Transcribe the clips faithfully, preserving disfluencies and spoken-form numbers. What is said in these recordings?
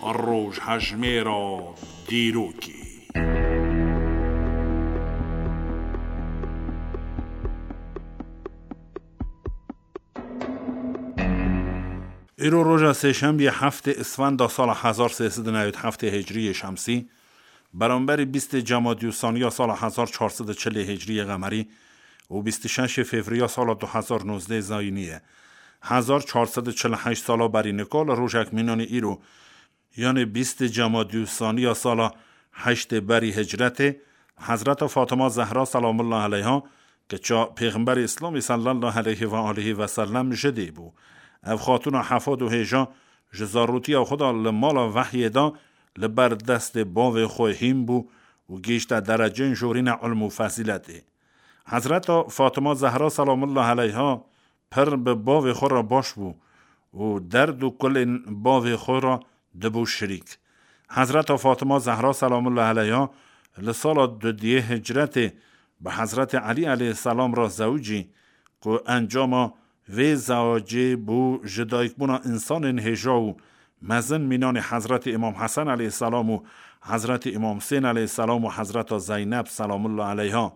Rojhejmêra dîrokê. Îro roja sêşembiyê heftê Isfenda sala hezar sê sed û newî heftê Hicriyê Şemsî, beramberî bîstê Cemadî Usaniya sala hezar çar sed û çilê Hicriyê Qemerî û bîst û şeşê Fevriya sala du hezar nozdeh Zayînî ye. Hezar çar sed û çil û heşt sala berî nika li rojek mînanê îro, yanê bîstê Cemadî Usaniya sala heştê berî Hicretê, Hezreta Fatima Zehra selamullah aleyha, kiça Pêxemberê Îslamê sallallahu aleyhi ve alihi ve sellem ji dê bû. Ev xatûna hefad û hêja ji zarotiya xwe de li mala vehyê de li ber destê bavê xwe hîn bû û gihîşte dereceyên jorîne ilm û fezîletê. Hezreta Fatima Zehra selamullah aleyha pir bi bavê xwe re baş bû û derd û kulên bavê xwe re dibû şirîk. Hezreta Fatima Zehra selamullah aleyha li sala dudiyê Hicretê bi Hezretê Elî aleyhisselam re zewicî, ku encama vê zewacê bû ji dayikbûna însanên hêja û mezin mînanê Hezretê Îmam Hesen aleyhisselam û Hezretê Îmam Husên aleyhisselam û Hezreta Zeyneb selamullah aleyha.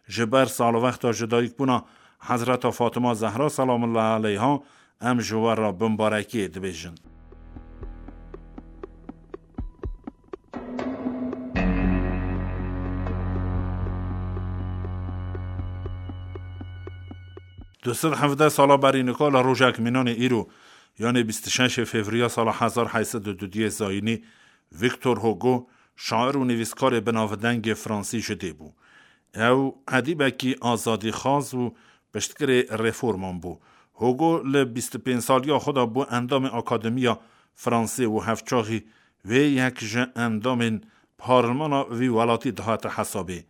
Ji ber salwexta ji dayikbûna Hezreta Fatima Zehra selamullah aleyha em ji we re bimbarekiyê dibêjin. Du sed hevdeh sala berî nika li rojek mînanê îro, yanê bîst û şeşê Fevriya sala hezar heyt sed û dudiyê Zayînî, Victor Hugo, şair û nivîskarê binavdengê Fransî ji dê bû. Ew edîbekî azadîxwaz û piştgirê reforman bû. Hugo li bîst û pênc saliya xwe de bû endamê Akademiya Fransê û hevçaxî wê yek ji endamên parlemana vî welatî dihate hesabê.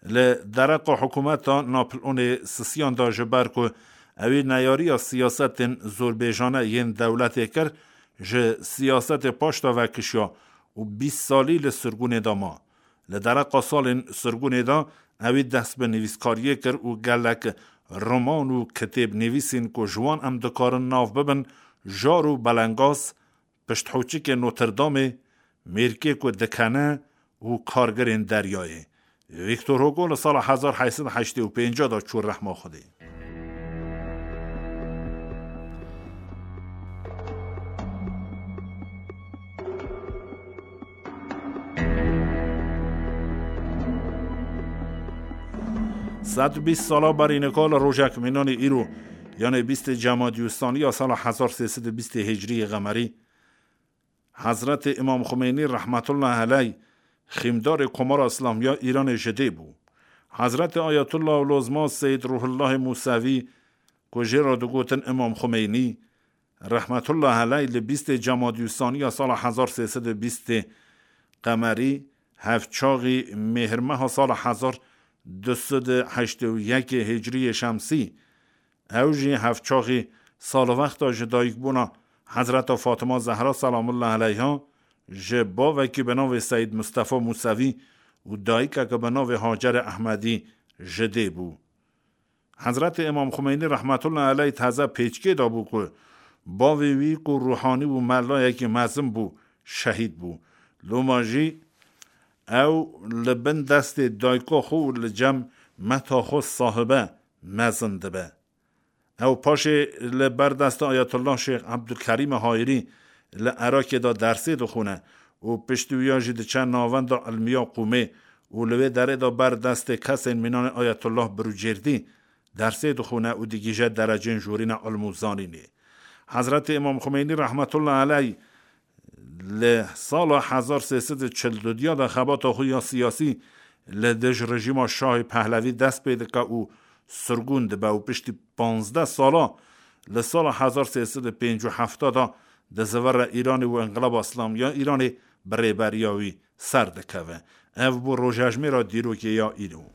Li dereqa hikûmeta Napoleonê sisiyan de, ji ber ku ewî neyariya siyasetên zorbêjane yên dewletê kir, ji siyasetê paş de vekişiya û bîst salî li sirgûnê de ma. Li dereqa salên sirgûnê de ewî dest bi nivîskariyê kir û gelek roman û kitêb nivîsîn ku ji wan em dikarin nav bibin, Jar û Belengaz, Pişthoçikê Notre Dameê, Mêrkê ku dikene û Kargirên Deryayê. Victor Hugo li sala hezar heyt sed û heştê û pênc de çû rehma Xwedê. Sed û bîst sala berî nika li rojek mînanê îro, yanê bîstê Cemadî Ûstaniya sala hezar sê sed û bîstê Hicriyê Qemerî, Hezretê Îmam Xumeynî rehmetullah eleyh xîmdarê Komara Îslamî ya Îranê ji dê bû. Hezretê Ayetullah Lozma Seyyid Ruhullahê Musevî ku jê re digotin Îmam Xumeynî rehmetullah eleyh li bîstê Cemadî Ûstaniya sala hezar sê sed û bîstê Qemerî, hevçaxî Mêhrmeha sala hezar du sed û heştê û yekê Hicriyê Şemsî, ew jî hevçaxî salwexta ji dayikbûna Hezreta Fatima Zehra selamullah eleyha ji bavekî bi navê Seyyid Mustafa Musevî û dayikeke bi navê Hacere Ehmedî ji dê bû. Hezretê Îmam Xumeynî rehmetullah eleyh taze pêçkê dabû ku bavê wî ku ruhanî û melayekî mezin bû, şehîd bû. Loma jî ew li bin destê dayika xwe û li cem meta xwe sahibe mezin dibe. Ew paşê li ber destê Ayetullah Şêx Ebdulkerîmê Hayirî li Erakê de dersê dixwine û piştî wiya jî diçe navenda ilmiya Qûmê û li wê derê de ber destê kesên mînanê Ayetullah Birûcêrdî dersê dixwine û digihîje dereceyên jorîna ilm û zanînê. Hezretê Îmam Xumeynî rehmetullah eleyh li sala hezar sê sed û çil û du de xebata xwe ya siyasî li dij rejîma Şahê Pehlevî dest pê dike û sirgûn dibe û piştî panzdeh sala li sala hezar sê sed û pêncî û heft de di zivire Îranê û Înqilaba Îslamî ya Îranê bi rêberiya wî ser dikeve. Ev bû rojejmêra dîrokê ya îro.